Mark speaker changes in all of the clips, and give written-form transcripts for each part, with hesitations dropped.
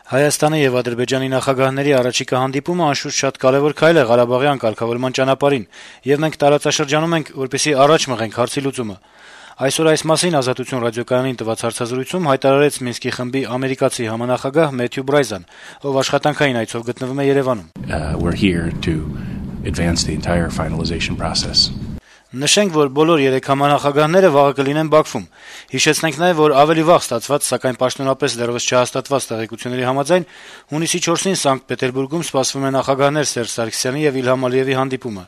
Speaker 1: Հայաստանի եւ Ադրբեջանի նախագահների առաջիկա հանդիպումը անշուշտ շատ կարեւոր քայլ է Ղարաբաղյան կարգավորման ճանապարհին, եւ մենք տարածաշրջանում ենք, որպեսզի առաջ մղենք հարցի լուծումը։ Այսօր այս մասին Ազատություն ռադիոկայանին տված հարցազրույցում հայտարարեց Մինսկի խմբի ամերիկացի համանախագահ Մեթյու Բրայզան, ով աշխատանքային այցով գտնվում է Երևանում։
Speaker 2: We're here to advance the entire finalization process.
Speaker 1: Նշենք, որ բոլոր 3 համանախագահները վաղը կլինեն Բաքվում։ Հիշեցնենք նաեւ, որ ավելի վաղ ստացված, սակայն պաշտոնապես դեռևս չհաստատված տեղեկությունների համաձայն հունիսի 4-ին Սանկտ Պետերբուրգում սպասվում է նախագահներ Սերժ Սարգսյանի եւ Իլհամ Ալիեվի հանդիպումը։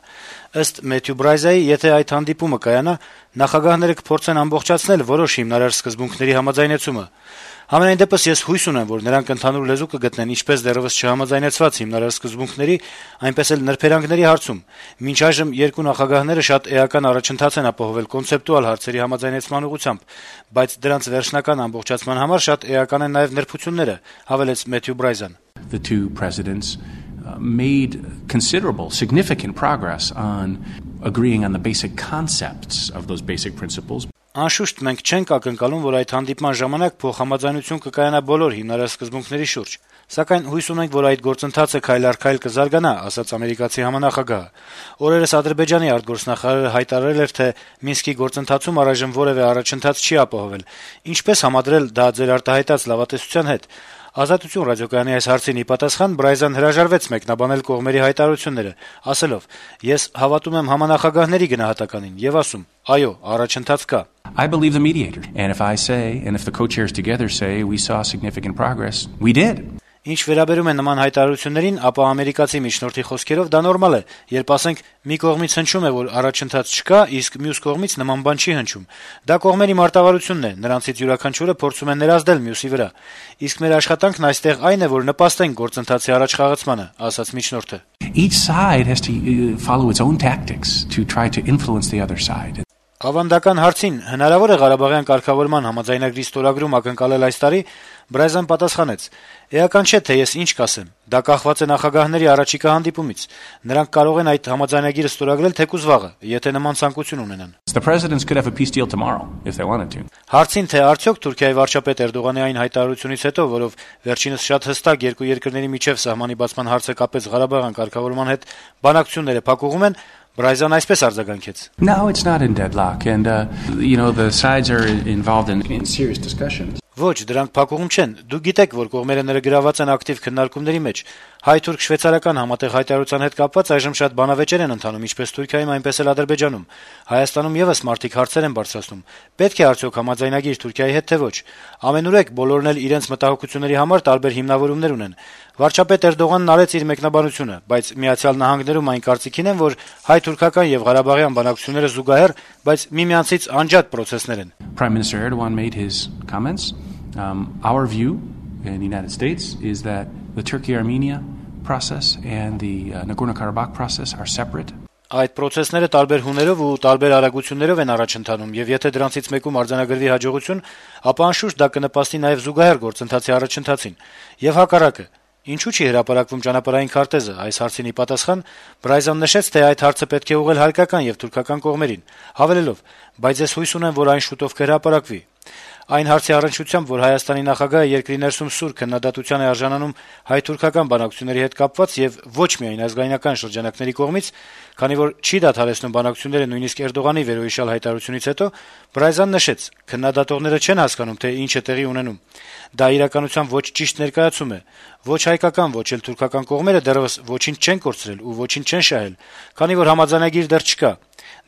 Speaker 1: Ըստ Մեթյու Բրայզայի, եթե այդ հանդիպումը կայանա, նախագահները կփորձեն ամբողջացնել որոշ հիմնարար սկզբունքների համաձայնեցումը։ Համենայն դեպս ես հույս ունեմ, որ նրանք ընդհանուր լեզու կգտնեն ինչպես դեռևս չհամաձայնեցված հիմնարար սկզբունքների, այնպես էլ նրբերանգների հարցում։ Մինչ այժմ երկու նախագահները շատ էական առաջընթաց են ապահովել կոնցեպտուալ հարցերի համաձայնեցման ուղղությամբ, բայց դրանց վերջնական ամբողջացման համար շատ էական են նաեւ նրբությունները, հավելեց Մեթյու Բրայզան։
Speaker 2: The two presidents made considerable, significant progress on agreeing on the basic concepts of those basic principles.
Speaker 1: Անշուշտ մենք չենք ակնկալում, որ այդ հանդիպման ժամանակ փոխհամաձայնություն կկայանա բոլոր հիմնարար սկզբունքների շուրջ, սակայն հույս ունենք, որ այդ գործընթացը քայլ առ քայլ կզարգանա, ասաց ամերիկացի համանախագահը։ Օրերս Ադրբեջանի արտգործնախարարը հայտարարել էր, թե Մինսկի գործընթացում առայժմ որևէ առաջընթաց չի ապահովել։ Ինչպես համադրել դա ձեր արտահայտած լավատեսության հետ։ Ազատություն ռադիոկայանի այս հարցին ի պատասխան Բրայզան հրաժարվեց մեկնաբանել կողմերի հայտարարությունները, ասելով. «Ես հավատում եմ համանախագահների գնահատականին եւ ասում. այո, առաջընթաց կա»։
Speaker 2: I believe the mediator, and if I say, and if the co-chairs together say we saw significant progress, we did.
Speaker 1: Ինչ վերաբերում է նման հայտարարություններին, ապա ամերիկացի միջնորդի խոսքերով դա նորմալ է, երբ ասենք մի կողմից հնչում է, որ առաջընթաց չկա, իսկ մյուս կողմից նման բան չի հնչում։ Դա կողմերի մարտավարությունն է, նրանցից յուրաքանչյուրը փորձում է ներազդել մյուսի վրա։ Իսկ մեր աշխատանքն այստեղ այն է, որ նպաստենք գործընթացի առաջխաղացմանը, ասաց միջնորդը։
Speaker 2: Each side has to follow its own tactics to try to influence the other side.
Speaker 1: Ավանդական հարցին հնարավոր է Ղարաբաղյան կարգավորման համաձայնագրի ստորագրում ակնկալել այս տարի, Բրայզան պատասխանեց. «Էական չէ, թե ես ինչ կասեմ։ Դա կախված է նախագահների առաջիկա հանդիպումից։ Նրանք կարող են այդ համաձայնագիրը ստորագրել թեկուզ վաղը, եթե նման ցանկություն ունենան»։
Speaker 2: The presidents could have a peace deal tomorrow if they wanted to.
Speaker 1: Հարցին, թե արդյոք Թուրքիայի վարչապետ Էրդողանի այն հայտարարությունից հետո, որով վերջինս շատ հստակ երկու երկրների միջև սահմանի բացման հարցը կապեց Ղարաբաղյան կարգավորման հետ, բանակցությունները փակուղում են, Բրայզան այսպես արձագանքեց.
Speaker 2: No, it's not in deadlock, and the sides are involved in serious discussions.
Speaker 1: Ոչ, դրանք փակուղում չեն։ Դուք գիտեք, որ կողմերը ներգրաված են ակտիվ քննարկումների մեջ։ Հայ-թուրք-շվեյցարական համատեղ հայտարարության հետ կապված այժմ շատ բանավեճեր են ընթանում ինչպես Թուրքիայում, այնպես էլ Ադրբեջանում։ Հայաստանում եւս մարդիկ հարցեր են բարձրացնում. պետք է արդյոք համաձայնագիր Թուրքիայի հետ թե ոչ։ Ամենուրեք բոլորն էլ իրենց մտահոգությունների համար տարբեր հիմնավորումներ ունեն։ Վարչապետ Էրդողանն արեց իր մեկնաբանությունը, բայց Միացյալ Նահանգներում այն կարծիքին են, որ հայ-թուրքական եւ ղարաբաղյան բանակցությունները զուգահեռ, բայց միմյանցից անջատ պրոցեսներ են։
Speaker 2: Prime Minister Erdogan made his comments. Our view in the United States is that the Turkey-Armenia process and the Nagorno-Karabakh process are separate.
Speaker 1: Այդ պրոցեսները տարբեր հուներով ու տարբեր արագություններով են առաջ ընթանում, եւ եթե դրանցից մեկում արձանագրվի հաջողություն, ապա անշուշտ դա կնպաստի նաեւ զուգահեռ գործընթացի առաջընթացին։ Եվ հակառակը, ինչու՞ չի հրապարակվում ճանապարհային քարտեզը, այս հարցին ի պատասխան Բրայզան նշեց, թե այդ հարցը պետք է ուղղել հայկական եւ թուրքական կողմերին, հավելելով. բայց ես հույս ունեմ, որ այն շուտով կհրապարակվի։ Այն հարցի առնչությամբ, որ Հայաստանի նախագահը երկրի ներսում սուր քննադատության է արժանանում հայ-թուրքական բանակցությունների հետ կապված եւ ոչ միայն ազգայնական շրջանակների կողմից, քանի որ չի դադարեցնում բանակցությունները նույնիսկ Էրդողանի վերոհիշյալ հայտարարությունից հետո, Բրայզան նշեց. քննադատողները չեն հասկանում, թե ինչ է տեղի ունենում։ Դա իրականության ոչ ճիշտ ներկայացում է։ Ոչ հայկական, ոչ էլ թուրքական կողմերը դեռևս ոչինչ չեն կորցրել ու ոչինչ չեն շահել, քանի որ համաձայնագիր դեռ չկա։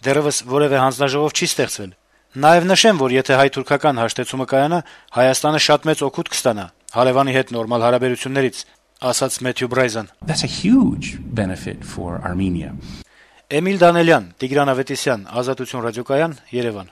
Speaker 1: Դեռևս որևէ հանձնաժողով չի ստեղծվել։ Նաև նշեմ, որ եթե հայ-թուրքական հաշտեցումը կայանա, Հայաստանը շատ մեծ օգուտ կստանա հարևանի հետ նորմալ հարաբերություններից, ասաց Մեթյու Բրայզան։
Speaker 2: That's a huge benefit for Armenia.
Speaker 1: Էմիլ Դանելյան, Տիգրան Ավետիսյան, Ազատություն ռադիոկայան, Երևան։